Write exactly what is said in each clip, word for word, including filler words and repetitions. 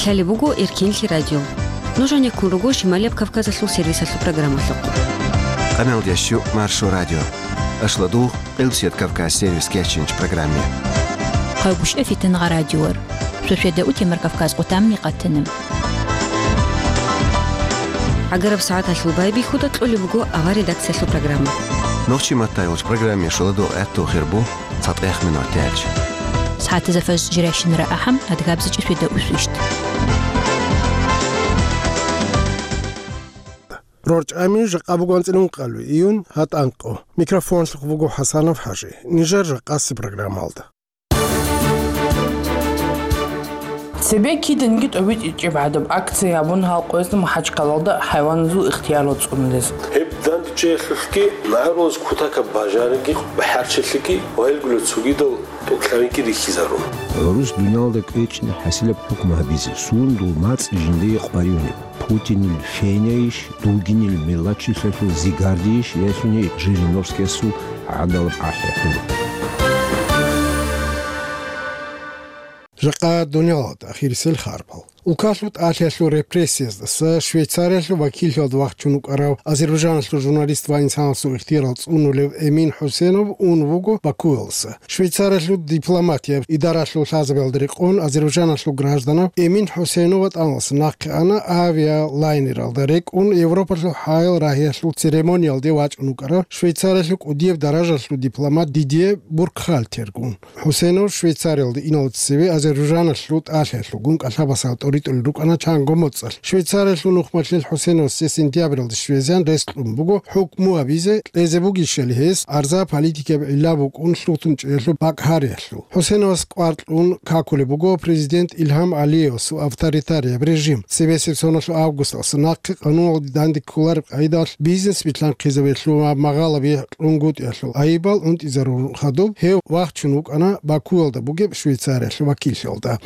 Лъалеб буго Эркенлъи радио. Нуж гьанеккун руго Шималияб Кавказалъул сервисалъул программалъухъ. Къаналда щу Маршо радио. Ашладугъ Къилбсият Кавказ сервис кечинч программе. Къавгушев Фитангъа радиор. Сосведа утемар Кавказ къутамни къатана. ГӀагараб сагӀаталъул байбихьуда кьолеб буго авар редакциялъул программа. Нохчи маттайулч программе шуладугъ гӀатту хирбу цатӀех минут дялч. СагӀатазафаз жиращинара ахӀам адгабзичӀи сосведа усвищт. РорчӀами жакъа буго анцӀила ункъабилеб июнь, гьатӀанкъо. Микрофонлъухъ вуго ХӀасанов ХӀажи. Нижер жакъасеб программалда. Цебе киданги тӀобитӀичӀеб гӀадаб акция гьабун гьал къоязда МахӀачкъалалда хӀайваназул ихтияр цӀунулез. Гьеб дандчӀвалъухъги, магӀарулаз кутакаб бажариги, бахӀарчилъиги ва гьелгула цогидал тӀокӀлъабиги рихьизарун. ГӀурус дуниялда кӀвечӀни хӀасилаб хӀукму гьабизе, сундул мацӀ жиндие къваригӀунеб. Путинил фенайищ, Дугинил мелачилъалъул зигардийищ, ялъуни Жириновскиясул гӀадалаб ахӀи хӀур. Жакъа дуниялалда ахирисел харбал. Улкалъул тӀалъиялъул репрессияздаса Швейцариялъул вакиллъиялда вахчун вукӀарав Азербайжаналъул журналист ва инсанасул ихтияр цӀунулев Эмин ХӀусенов ун вуго Бакуялдаса. Швейцариялъул дипломатияб идаралъул лъазабиялда рекъон азербайжаналъул гражданав Эмин ХӀусейнов ВатӀаналъ нахъе ана авиалайнералда рекӀун Европалъул хӀаял рагьиялъул церемониялде вачӀун вукӀарав Швейцариялъул кӀудияб даражалъул дипломат Дидье Буркхальтергун. ХӀусейнов Швейцариялде иналде цеве Азербайжаналъул тӀалъиялъулгун кӀалъабасал тӀоритӀулел рукӀана чанго моцӀалъ. Швейцариялъул нухмалъил ХӀусейновасде сентябралда щвезегӀан рес кьун буго хӀукму гьабизе, кьезе бугищали гьес арза политикияб гӀилла букӀун лъугьун чӀеялъул бакӀ гьариялъул. ХӀусейновас кӀвар кьун какулеб буго президент Илгьам Алиевасул авторитарияб режим. Цебесеб соналъул августалъ нахъе къануналде данде кколареб къайдалъ бизнес билъанхъизабиялъул ва магъалаби кьунгутӀиялъул айибал унтӀизарун хадуб, гьев вахчун вукӀана Бакуялда бугеб Швейцариялъул вакиллъиялда.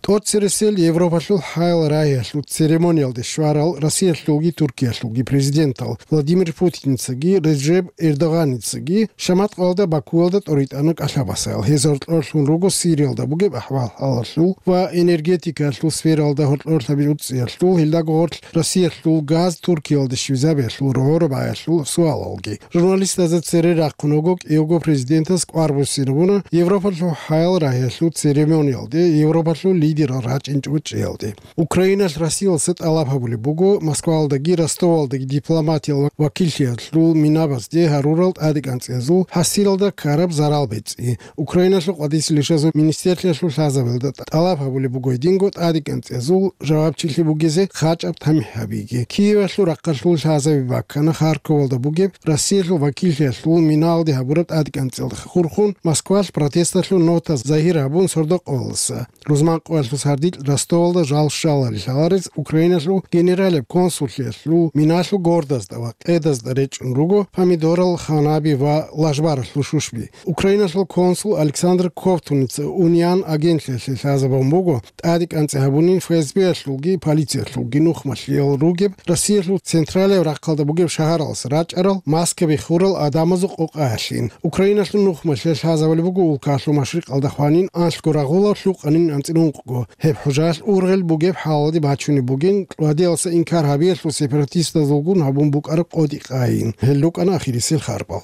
ТӀоцересел Европалъул хӀаял рагьиялъул церемониялде щварал Россиялъулги Туркиялъулги президентал Владимир Путиницаги Реджеп Эрдоганицаги шаматкъалда Бакуялда тӀоритӀана кӀалъабасал. Гьез гьоркьорлъун руго Сириялда бугеб ахӀвал-хӀалалъул ва энергетикаялъул сфералда гьоркьорлъаби уцӀцӀиялъул, гьелдаго гъорлъ Россиялъул газ Туркиялде щвезабиялъул рогӀоро баялъул суалалги. Журналистазда цере рахъун вуго кӀиявго президентас кӀвар буссинабуна Европалъул хӀаял рагьиялъул церемониялде Европалъул лидерал рачӀинчӀого чӀеялде. Украиналъ Россиялдаса тӀалаб гьабулеб буго Москваялдаги Ростовалдаги дипломатиял вакиллъиялъул минабазде гьарурал тӀадекӀанцӀиязул хӀасилалда ккараб зарал бецӀи. Украиналъул къватӀисел ишазул министрлъиялъул лъазабиялда тӀалаб гьабулеб буго гьединго тӀадекӀанцӀиязул жавабчилъи бугезе хъачӀаб тамихӀ гьабиги. Киевалъул рахъалъул лъазаби баккана Харьковалда бугеб Россиялъул вакиллъиялъул минаялде гьабураб тӀадекӀанцӀиялда хурхун Москвалъ протесталъул нота загьир гьабун сордо-къоялдаса. Рузманкъоялъул сардилъ Ростовалда жал щваларин лъаларез Украиналъул генералияб консуллъиялъул миналъул гордазда ва къедазда речӀчӀун руго помидорал ханаби ва лажбаралъул шушби. Украиналъул консул Александр Ковтуница Униан агентлъиялъе лъазабун буго, тӀадекӀанцӀи гьабунин ФСБ-ялъулги полициялъулги нухмалъиял ругеб Россиялъул централияб рахъалда бугеб шагьаралдаса рачӀарал маскаби хурал гӀадамазул къокъаялъин. Украиналъул нухмалъиялъ лъазабулеб буго улкалъул машрикъалда хванин анлъго рагъулаб лъукъанин анцӀила ункъго. Гьеб хӀужаялъ ургъел бугеб хӀалалде бачунеб бугин, кӀудиялдаса инкар гьабиялъул сепаратистазулгун гьабун букӀараб къотӀи-къайин. Гьел рукӀана ахирисел харбал.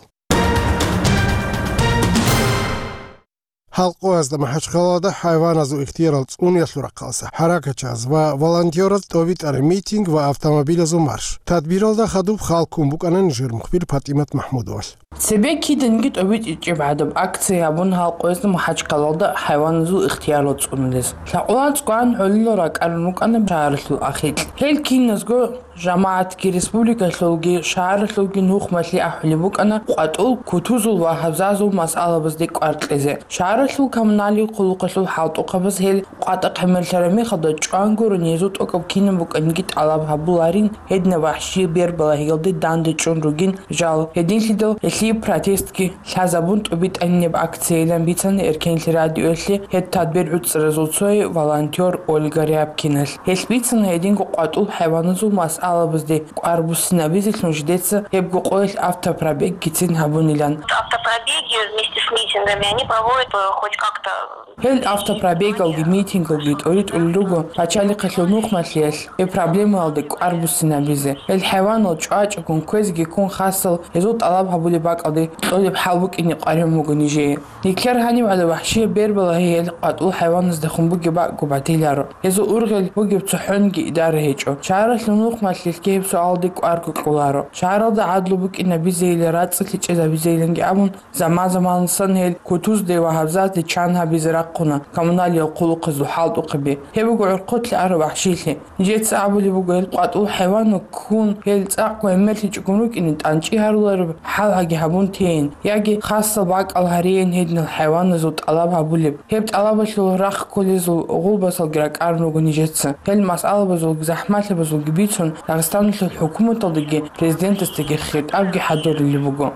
Гьал къоязда МахӀачхъалада хӀайваназул ихтиярал цӀуниялъул рахъалса хӀаракатчияз ва волонтёраз тӀобитӀараб митинг ва автомобилазул марш. Тадбиралда хадуб хал ккун букӀана нижер мухбир ПатӀимат МахӀмудовалъ. Цебе киданги тӀобитӀичӀеб гӀадаб акция гьабун гьал къоязда МахӀачхъалалда хӀайваназул ихтияр цӀунулез. Лъакъулан цӀкӀван гӀолилал ракӀарун рукӀана шагьаралъул ахикь. Гьел киназго жамагӀатги, республикалъулги, шагьаралъулги нухмалъи ахӀулеб букӀана къватӀул, кутузул ва гьабзазул масъалабазде кӀвар кьезе. Шагьаралъул коммуналил хъулухъалъул хӀалтӀухъабаз гьел къватӀахъ гӀемерлъараб мехалда чӀван гурони гьезул тӀокӀаб кинаб букӀаниги тӀалаб гьабуларин, гьединаб вахӀши бер балагьиялде дандечӀун ругин жал. Гьединлъидал гьелъие протестги лъазабун тӀубитӀанинаб акциялан бицана Эркенлъи радиоялъе гьеб тадбир гӀуцӀаразул цое волонтёр Ольга Рябкиналъ. Гьелъ бицана гьединго къватӀул хӀайваназул масъалабазде кӀвар буссинабизелъун жидеца гьебго къоялъ автопробеггицин гьабунилан. Автопробеги вместе с митингом. Они проводят, э, хоть как-то. Гьел автопробегалги, митингалги тӀоритӀулел руго пачалихъалъул нухмалъиялъ гьеб проблемаялда кӀвар буссинабизе. Гьел хӀайванал чӀвачӀого кквезеги ккун хасал гьезул тӀалаб гьабулеб бакӀалде кьолеб хӀал букӀине къваригӀун буго нижее. Нилъер гьаниб гӀадаб вахщияб бербалагьи гьел къватӀул хӀайваназда хун бугеб бакӀго батиларо. Гьезул ургъел бугеб цохӀонги идара гьечӀо. Шагьаралъул нухмалъиялъги гьеб суалалде кӀварго кьоларо. Шагьаралда гӀадлу букӀинабизейилан, рацӀцӀалъи чӀезабизейиланги абун, заман-заманалдасан гьел кутузде ва гьабзазде чан гьабизе рахъуна коммуналиял хъулухъазул хӀалтӀухъаби. Гьеб буго гӀурхъулъе араб вахщилъи. Нижеца абулеб буго, гьел къватӀул хӀайванал ккун, гьел цӀакъго гӀемерлъичӀогун рукӀине, тӀанчӀи гьарулареб хӀалгьаги гьабун тейин, яги хасал бакӀал гьариин гьединал хӀайваназул тӀалаб гьабулеб. Гьеб тӀалабалъул рахъ кколезул гъулбасалги ракӀарун руго нижеца. Гьел масъалабазулги захӀмалъабазулги бицун, Дагъистаналъул хӀукуматалдаги президентасдаги хитӀабги хӀадурулеб буго.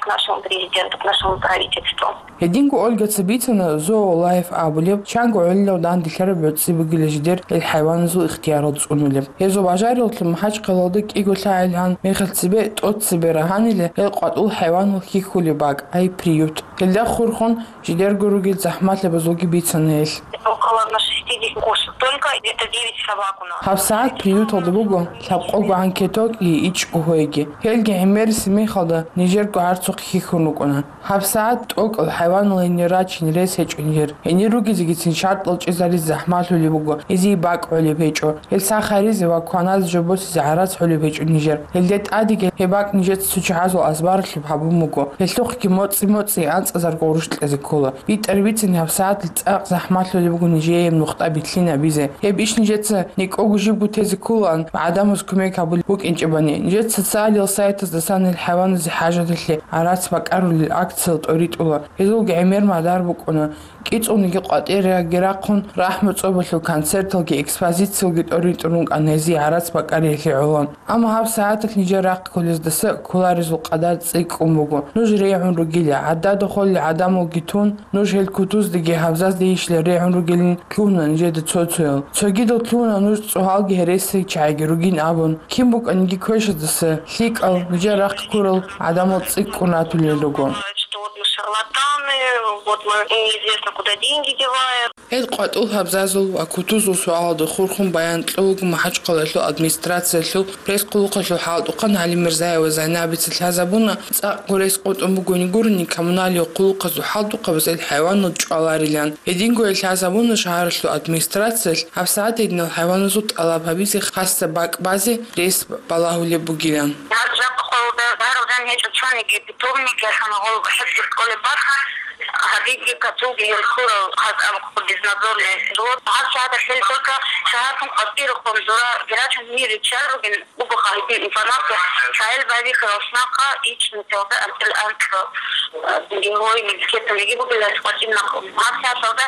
К нашему президенту, к нашему правительству. Гьединго Ольгаца бицана Зоолайф абулеб, чанго гӀолилав данделъараб гӀорцӀи бугила жидер гьел хӀайваназул ихтиярал цӀунулеб. Гьезул бажарилъун МахӀачхъалалда кӀиго лъагӀел гьан мехалъ цебе тӀоцебе рагьанила гьел къватӀул хӀайванал хьихьулеб бакӀ, ай приют. Гьелда хурхун жидерго ругел захӀмалъабазулги бицана гьелъ. Около на шестидесяти кошек, только где-то девять собак у нас. ГьабсагӀат приюталда буго лъабкъого гӀанкетокги ичӀго гьойги. Гьелги гӀемерисеб мехалда нижерго гӀарцухъ хьихьун рукӀуна. ГьабсагӀат тӀокӀал хӀайванал гьенир рачин рес гьечӀо нижер. Гьенир ругезегицин шартӀал чӀезаризе захӀмалъулеб буго, гьезие бакӀ гӀолеб гьечӀо. Гьел сах гьаризе ва кваназе жо босизе гӀарац гӀолеб гьечӀо нижер. Гьелде тӀадеги гьеб бакӀ нижеца цо чагӀазул азбарлъи гьабун буго. Гьелъухъги моцӀи-моцӀи анцӀазарго гъурущ кьезе ккола. БитӀараб бицани гьабсагӀаталъ цӀакъ захӀмалъулеб буго нижее нухда битлъинабизе. Гьеб иш нижеца никӀого жибго тезе кколаан ва гӀадамаз кумек гьабулеб букӀинчӀебани, нижеца социалил сайтаздасан гьел хӀайваназе хӀажалъе гӀарац бакӀарулел акциял тӀоритӀула. Гьезулги гӀемер мадар букӀуна. КӀицӀулниги къватӀиреги рахъун, рахӀму цӀобалъул концерталги экспозициялги тӀоритӀун рукӀана гьезие гӀарац бакӀариялъе гӀоло. Амма гьабсагӀаталъ нижер рахъ кколездаса кколарезул къадар цӀикӀкӀун буго. Нуж регӀун ругила, гӀадада холел гӀадамалги тун, нуж гьел кутуздеги гьабзазде ишила регӀун ругилин лъугьуна нижеда цо-цоял. Цогидал лъугьуна нуж цӀогьалги гьересиги чагӀиги ругин абун. Кин букӀаниги квешаздаса лъикӀал, нижер рахъ ккурал гӀадамал цӀикӀкӀун ратулел руго. Что вот мы шарлатаны, вот мы неизвестно куда деньги деваем. Гьел къватӀул гьабзазул ва кутузул суалалда хурхун баян кьолаго МахӀачхъалаялъул администрациялъул пресс-хъулухъалъул хӀалтӀухъан ГӀалимирзаева Зайнабица лъазабуна, цӀакъго рес къотӀун бугони гурони коммуналиял хъулухъазул хӀалтӀухъабаз гьел хӀайванал чӀваларилан. Гьединго гьел лъазабуна шагьаралъул администрациялъ гьабсагӀат гьединал хӀайваназул тӀалаб гьабизе хасаб бакӀ базе рес балагьулеб бугилан. Гьаб жакъа къолда бараб жан гьечӀо цониги питомник, яхана гъол хӀифзулъ кколеб бакӀ, гьабиги катуги гьел хьурал гьаз абухъ безнадзорный. Вот гьаб шагьадалъ гьел только шагьархун къватӀирахъун зура герачун мир риччал ругин буго гьадин информация, цайил байбихьарал шнахъа ичӀнутелда анцӀил анцӀго, э, герой, милкеталиги бугилан къватӀинахъ. Гьаб шагьадалда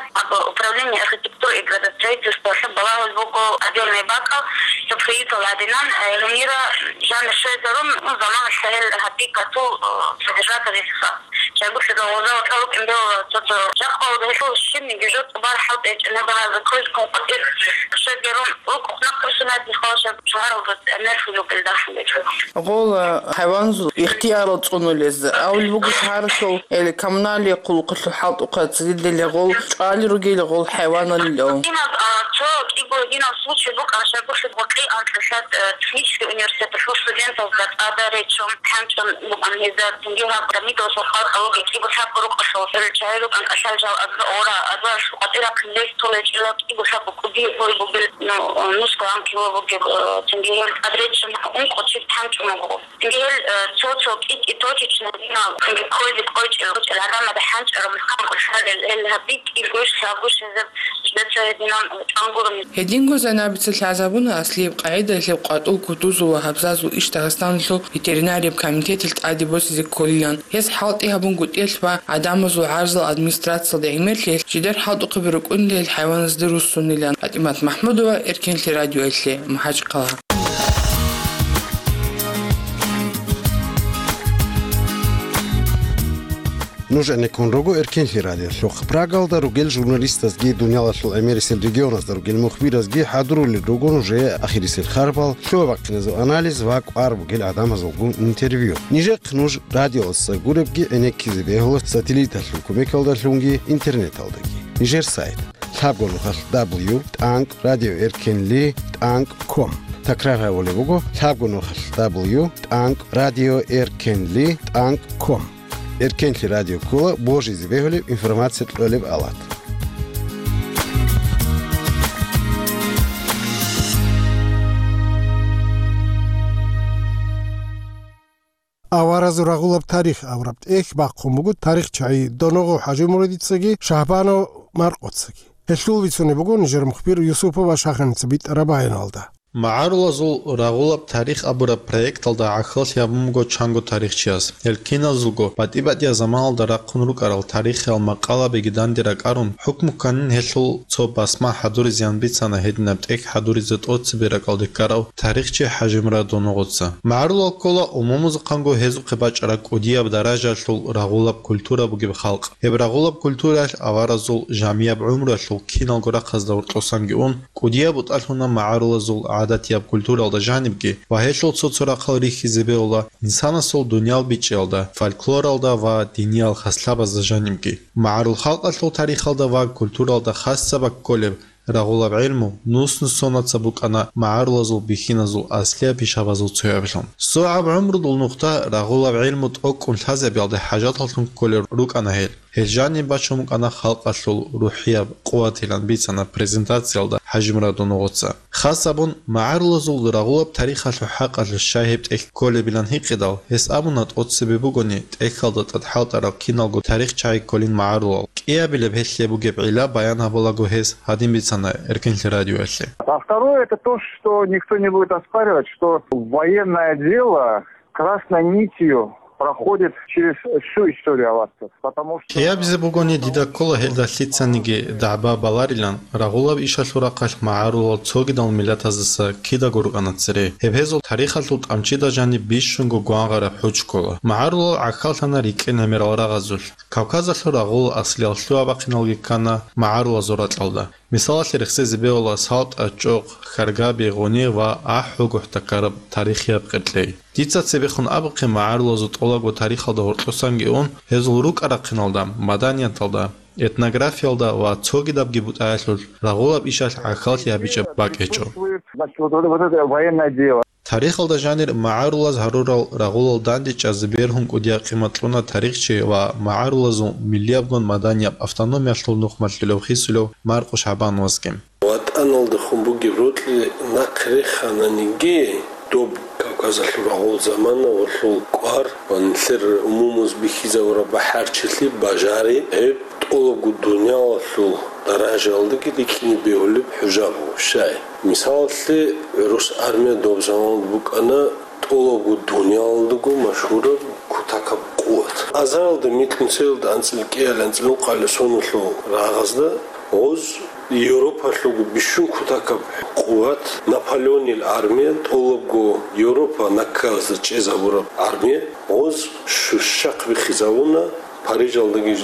управление архитектуры и градостроительстволъа балагьул буго отдельный бакӀал, цо приютал гӀадинан, э, гьенира жанр щвезарун, ну, заманалъ гьел гьабикатул, э, содержатель. Чагусида гъоза ватӀа вукӀин бегьула цо-цо. Жакъа гьелъул щибниги жо цӀубар хӀалтӀичӀеб гьаб гьаза кколъ ккун къватӀир щвезарун, рукӀухъ нахъ русунат нихъалашаб шагьаралда гӀемер хӀулукъилдахун гьечӀо. Гъол, э, хӀайваназул ихтиярал цӀунулез, авли буго шагьаралъул, э, коммуналия хъулухъалъул хӀалтӀухъа цӀидиле гъол чӀвали ругел гъол хӀайваналил. Гьаниб, а, цо кӀиго гьединал случай букӀана, шагьаралъул вакъи анкьилъат, э, технический университеталъул студентазда тӀада речун, хӀанчӀун букӀана гьезда, цинги гьаб Дамидовасул халкъалги кӀиго лъабго рукъалъул гьел чагӀи рукӀан кӀалъал жал аза ора, азаралъул къватӀирахъин рес толечӀила кӀиго лъабго кӀудияб гьой бугел, ну, нусго гӀан кило бугеб, э, цинги гьел тӀад речун ункъо чияс хӀанчӀун буго. Гьел, э, цо-цо кӀи-кӀи точечно гьединал, ккойзе кӀочӀел, кӀочӀел гӀадамазда хӀанчӀараб мехалъ кӀалъалел, гьел гьаб битӀи гуш, лъабгуш гьезаб жидеца гьединан чӀван гурони. Гьединго Зайнабица лъазабуна аслияб къагӀидаялъ къватӀул, кутузул ва гьабзазул иш Дагъистаналъул ветеринарияб комитеталъ тӀаде босизе кколилан. Гьез хӀалтӀи гьабунгутӀиялъ ва гӀадамазул гӀарзал администрациялда гӀемерлъиялъ жидер хӀалтӀухъаби рукӀунилан хӀайваназде руссунилан. ПатӀимат МахӀмудова, Эркенлъи радиоялъе, МахӀачхъала. Нуж гӀенеккун руго Эркенлъи радиолъухъ. Прагалда ругел журналистазги, дуниялалъул гӀемерисел регионазда ругел мухбиразги хӀадурулел руго нужее ахирисел харбал, лъугьа-бахъиназул анализ ва кӀвар бугел гӀадамазулгун интервью. Нижехъ нуж радиоялдаса гуребги гӀенеккизе бегьула сателлиталъул кумекалдалъунги интернеталдаги. Нижер сайт: лъабго нухалъ дабл ю тӀанкӀ радио эркенли тӀанкӀ ком. Такрар гьабулеб буго: лъабго нухалъ дабл ю тӀанкӀ радио эркенли тӀанкӀ ком. Эркенлъи радио ккола божизе бегьулеб информация кьолеб алат. «Аваразул рагъулаб тарих» абураб тӀехь бахъун буго тарихчагӀи Доногъов ХӀажимурадицаги Шагьбанов Маркъоцаги. Гьелъул бицунеб буго нижер мухбир Юсупова Шаханица битӀараб баяналда. «МагӀарулазул рагъулаб тарих» абураб проекталда гӀахьаллъи гьабун буго чанго тарихчияс. Гьел киназулго батӀи-батӀияб заманалда рахъун рукӀарал тарихиял макъалабиги данде ракӀарун, хӀукму кканин гьелъул цо басма хӀадуризе ян бицана гьединаб тӀехь хӀадуризе тӀоцебе ракӀалде ккарав тарихчи ХӀажимурад Доногъовца. МагӀарулал ккола умумузухъанго гьезухъе бачӀараб кӀудияб даражаялъул рагъулаб культура бугеб халкъ. Гьеб рагъулаб культураялъ аваразул жамияб гӀумруялъул киналго рахъазда гьоркьосанги ун, кӀудияб бутӀа лъуна магӀарулазул гӀадатияб культуралда жанибги ва гьелъул цо-цо рахъал рихьизе бегьула инсанасул дуниял бичӀчӀиялда, фольклоралда ва диниял хаслъабазда жанибги. МагӀарул халкъалъул тарихалда ва культуралда хасаб кколеб рагъулаб гӀелму нус-нусонаца букӀана магӀарулазул бихьиназул аслияб пишабазул цоябилъун. СогӀаб гӀумрудул нухда рагъулаб гӀелму тӀокӀкӀун лъазабиялде хӀажаталлъун кколел рукӀана гьел. Гьел жаниб бачун букӀана халкъалъул рухӀияб къуватилан бицана презентациялда ХӀажимурад Доногъовца. Хас абун, магӀарулазул рагъулаб тарихалъул хӀакъалъулъ щай гьеб тӀехь кколебилан гьикъидал, гьес абуна, тӀоцебе бугони, тӀехьалда тӀад хӀалтӀарал киналго тарихчагӀи кколин магӀарулал. КӀиабилеб гьелъие бугеб гӀилла баян гьабулаго гьес гьадин бицана Эркенлъи радиоялъе. А второе, это то, что никто не будет оспаривать, что в военное дело красной нитью проходит через всю историю аварцев, потому что... КӀиабизе бугони, дида ккола гьелда лъицаниги дагӀба баларилан, рагъулаб ишалъул рахъалъ магӀарулал цогидал миллатаздаса кидаго рукӀана цере. Гьеб гьезул тарихалъул тӀамчида жаниб бищунго гвангъараб хӀуч ккола. МагӀарулал гӀахьаллъана рикӀкӀен гӀемерал рагъазулъ. Кавказалъул рагъул аслиял лъугьа-бахъиналги ккана магӀарулазул ракьалда. Мисалалъе рехсезе бегьула СалтӀа, ЧӀокъ, Хьаргаби, Гъуни ва АхӀулгохӀ такараб тарихияб къеркьей. Дица цебехун абухъе, магӀарулазул тӀолабго тарихалда гьоркьосанги ун, гьезул рукӀа-рахъиналда, маданияталда, этнографиялда ва цогидабги бутӀаялъулъ рагъулаб ишалъ гӀахьаллъи гьабичӀеб бакӀ гьечӀо. Значит, вот, вот это военное дело. Тарихалда жанир магӀарулаз гьарурал рагъулал дандечӀезе бергьун кӀудияб къимат кьуна тарихчи ва магӀарулазул миллиябгун маданияб автономиялъул нухмалъулев хисулев Маркъу ШагӀбановасги. ВатӀаналдехун бугеб рокьи нахъе рехананиги, доб Кавказалъул рагъул замана ва лъул кӀвар ва нилъер умумуз бихьизабураб бахӀарчилъи бажари, гьеб тӀолабго дуниялалъул даражаялдаги рикӀкӀине бегьулеб хӀужа буго. Щай? Мисалалъе, гӀурус армия доб заманалда букӀана тӀолабго дуниялалдаго машгьураб кутакаб къуват. Азаралда микьнусиялда анцӀил кӀиялда анцӀил ункъабилеб соналъул рагъазда гъоз Европалъулго бищун кутакаб къуват, Наполеонил армия, тӀолабго Европа накказда чӀезабураб армия, гъоз щущахъ биххизабуна, Парижалдаги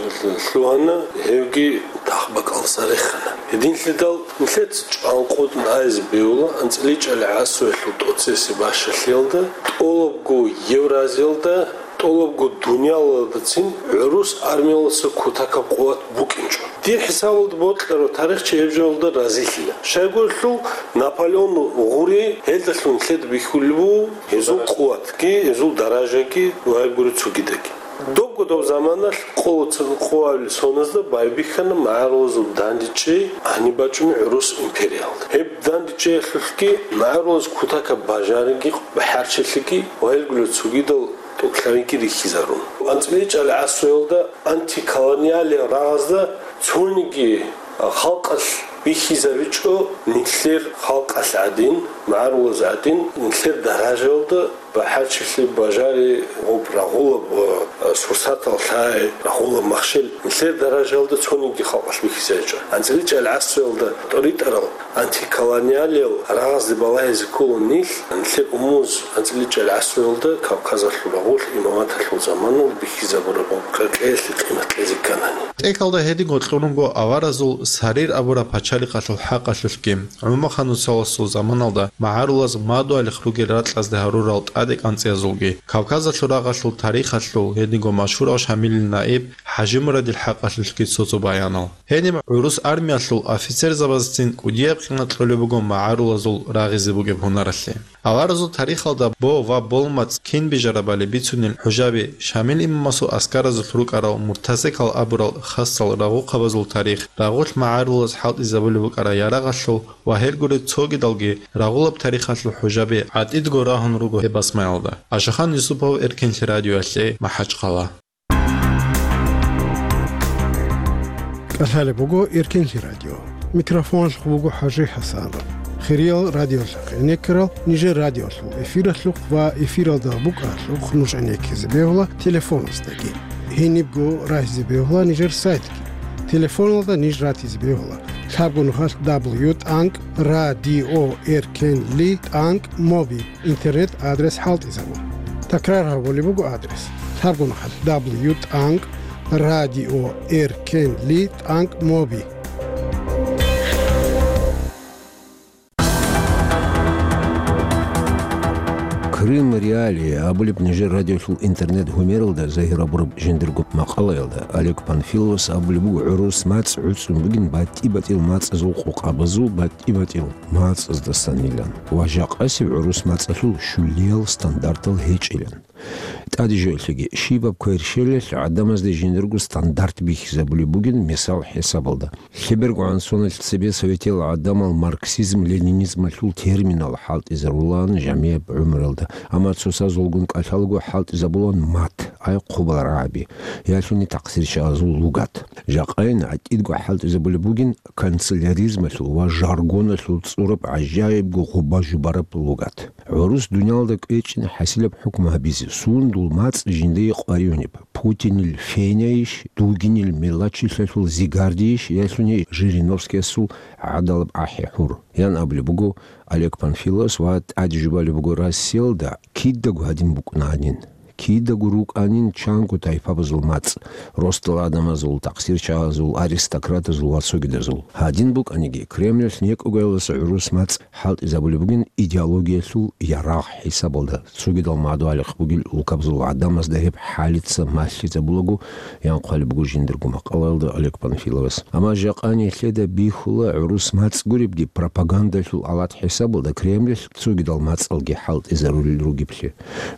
лъугьана, гьевги тахбакӀалдаса рехана. Гьединлъидал нилъеца чӀван къотӀун айзе бегьула анцӀила чӀалгӀи гӀасуялъул тӀоцебесеб бащалъиялда, тӀолабго Евразиялда, тӀолабго дуниялалдацин гӀурус армиялдаса кутакаб къуват букӀинчӀо. Дир хӀисабалда бокьарав тарихчи гьеб жоялда разилъила. Щайгурелъул Наполеон гъури гьелдалъун нилъеда бихьулеб буго гьезул къуватги, гьезул даражаги ва гьеб гури цогидаги. Добго доб заманалъ къолоцан къоабил соназда байбихьана магӀарулазул дандечӀей гьаниб бачӀунеб гӀурус империялда. Гьеб дандечӀеялъулъги магӀарулаз кутакаб бажариги, бахӀарчилъиги ва гьелгула цогидал тӀокӀлъариги рихьизарун. АнцӀила чӀалгӀи гӀасуялда антиколониалияб рагъазда цониги халкъалъ бихьизабичӀо нилъер халкъалъ гӀадин, МагӀарулаз гӀадин, нилъер даражаялда бахӀарчилъи, бажари, гъоб рагъулаб ва сурсатал лъай, рагъулаб махщел, нилъер даражаялда цониги халкъалъ бихьизайчӀо. АнцӀила чӀалгӀасуялда тӀоритӀарал антиколониалиял рагъазде балагьизе ккола нилъ, нилъер умумуз анцӀила чӀалгӀасуялда Кавказалъул рагъулъ имаматалъул заманалда бихьизабураб къеркьеялъе къимат кьезе кканани. ТӀехьалда гьединго кьурунго аваразул Сарир абураб пачалихъалъул хӀакъалъулъги. ГӀумаханусаласул заманалда магӀарулаз мадугьалихъ ругел ракьазде гьарурал тӀаде кӀанцӀиязулги, Кавказалъул рагъалъул тарихалъул гьединго машгьурав Шамилил наиб ХӀажимурадил хӀакъалъулъги цо-цо баянал. Гьениб гӀурус армиялъул офицерзабазцин кӀудияб къимат кьолеб буго магӀарулазул рагъизе бугеб гьунаралъе. Аваразул тарихалда бо ва болмацӀ кин бижарабали бицунел ХӀужаби Шамил имамасул аскаразулъ рукӀарал Муртазекал абурал хасал рагъухъабазул тарих, рагъулъ магӀарулаз хӀалтӀизабулеб букӀараб ярагъалъул ва гьелгуреб цогидалги рагъулаб тарихалъул ХӀужаби гӀатӀидго рагьун руго гьеб басмаялда. Ашахан Юсупов, Эркенлъи радиоялъе, МахӀачхъала. КӀалъалеб буго Эркенлъи радио. Микрофоналъухъ буго ХӀажи ХӀасанов. Хириял радиолъахъ гӀенеккарал нижер радиолъул эфиралъухъ ва эфиралда букӀаралъухъ нуж гӀенеккизе бегьула телефоназдаги. Гьенибго рагьизе бегьула нижер сайтги. Телефоналда ниж ратизе бегьула лъабго нухалъ дабл ю тӀанкӀ радио эркенли тӀанкӀ моби. Интернет-адрес хӀалтӀизабун. Такрар гьабулеб буго адрес: лъабго нухалъ дабл ю тӀанкӀ радио эркенли тӀанкӀ моби. Крым Реалии абулеб нижер радиолъул интернет-гьумералда загьир гьабураб жиндирго макъалаялда Олег Панфиловас абулеб буго гӀурус мацӀ гӀуцӀун бугин батӀи-батӀиял мацӀазул къокъабазул батӀи-батӀиял мацӀаздасанилан ва жакъасеб гӀурус мацӀалъул щулиял стандартал гьечӀилан. ТӀаде жоялъеги, щибаб кверщелалъ гӀадамазде жиндирго стандарт бихьизабулеб бугин мисал хӀисабалда. ЛъебергогӀан соналъ цебе советиял гӀадамал марксизм-ленинизмалъул терминал хӀалтӀизарулаан жамияб гӀумруялда, амма цоцазулгун кӀалъалаго хӀалтӀизабулаан мат, ай хъубал рагӀаби, ялъуни такъсирчагӀазул лугат. Жакъайин гӀатӀидго хӀалтӀизабулеб бугин канцеляризмалъул ва жаргоналъул цӀураб гӀажаибго гъуба-жубараб лугат. ГӀурус дуниялалда кӀвечӀин хӀасилаб хӀукму гьабизе, сундул мацӀ жиндие къваригӀунеб, Путинил фенайищ, дугинил мелачилъалъул зигардийищ, ялъуни Жириновскиясул гӀадалаб ахӀи-хӀур, ян абулеб буго Олег Панфиловас ва тӀаде жубалеб буго Россиялда кидаго гьадин букӀунаанин. Кидаго рукӀанин чанго тайпабазул мацӀ, росдал гӀадамазул, такъсирчагӀазул, аристократазул ва цогидазул. Гьадин букӀаниги, Кремлалъ некӀогоялдаса гӀурус мацӀ хӀалтӀизабулеб бугин идеологиялъул ярагъ хӀисабалда, цогидал мадугьалихъ бугел улкабазул гӀадамазда гьеб хӀалица малъизабулаго, ян хъвалеб буго жиндирго макъалаялда Олег Панфиловас. Амма жакъа нилъеда бихьула гӀурус мацӀ гуребги пропагандалъул алат хӀисабалда Кремлалъ цогидал мацӀалги хӀалтӀизарулел ругеблъи.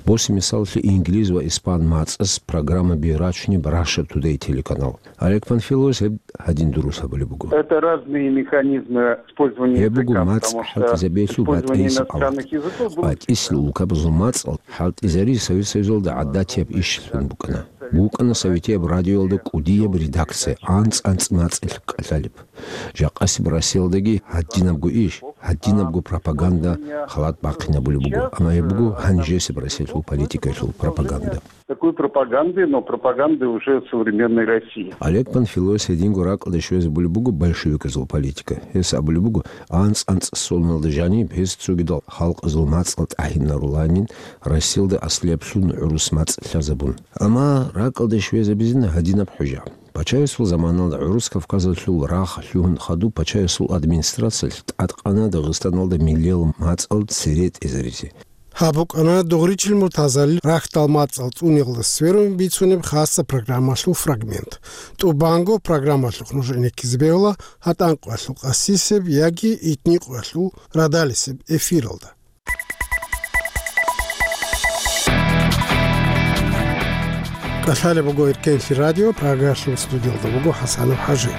Босе мисаллъи инглиз ва испан мацӀас программаби рачунеб Russia Today телеканал. Олег Панфиловас гьеб гьадин дурус гьабулеб буго. Это разные механизмы использования Гьеб буго языка, мацӀ потому что хӀалтӀизабиялъул использование батӀияб алат. Иностранных языков было БатӀисел улкабазул мацӀал хӀалтӀизари Совет Союзалда гӀадатияб ишилъун букӀана. БукӀана советияб радиоялда кӀудияб редакция, анцӀ-анцӀ мацӀалъ кӀалъалеб. Жакъасеб Россиялдаги гьадинабго иш, гьадинабго пропаганда халат бахъинабулеб буго, амма гьеб буго гьанжесеб Россиялъул политикаялъул пропаганда. Такой пропаганды, но пропаганды уже современной России. Олег Панфиловас гьединго ракӀалде щвезабулеб буго большевиказул политика. Гьес абулеб буго, анцӀ-анцӀ соналда жаниб гьес цогидал халкъазул мацӀал тӀагьинаруланин, Россиялда аслияб лъун гӀурус мацӀ лъазабун. Амма ракӀалде щвезабизина гьадинаб хӀужа. Пачаясул заманалда гӀурус Кавказалъул рагъ лъугьун хадуб пачаясул администрациялъ тӀадкъана Дагъистаналда миллиял мацӀал цере тӀезаризе. Гьаб букӀана Дугъричил Муртазалил рахьдал мацӀал цӀуниялда сверун бицунеб хасаб программалъул фрагмент. ТӀубанго программалъухъ нуж гӀенеккизе бегьула гьатӀан къоялъул къасисеб яги итни къоялъул радалисеб эфиралда. Лъалеб буго Эркенлъи радио, Прагаялъул студиялда буго ХӀасанов ХӀажи.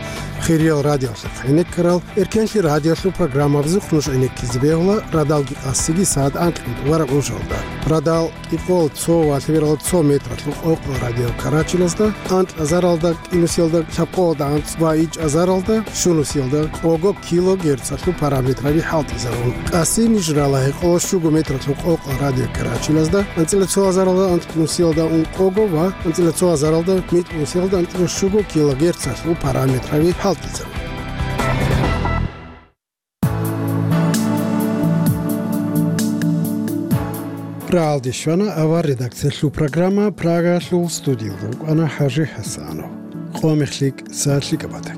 Хириял радиоялъухъ гӀенеккарал, Эркенлъи радиоялъул программабазухъ нуж гӀенеккизе бегьула радалги къасиги сагӀат анкьго вараб ужалда. Радал кӀикъоялда цо ва лъебералда цо метралъул къокъал радио карачилазда, анкьазаралда, кӀинусиялда, лъабкъоялда анцӀ ва ичӀазаралда, щунусиялда къого килогерцалъул параметраби хӀалтӀизарун. Къаси ниж рала гьекъолда щуго метралъул къокъал радио карачилазда, анцӀила цо азаралда, анцӀила кӀинусиялда ункъого ва анцӀила цо азаралда, микьнусиялда анцӀила щуго килогерцалъул параметраби хӀалтӀизарун. Рагьалде щвана авар редакциялъул программа, Прагаялъул студиялда вукӀана ХӀажи ХӀасанов. Къо мехлъи кӀиса лъикӀаб бата.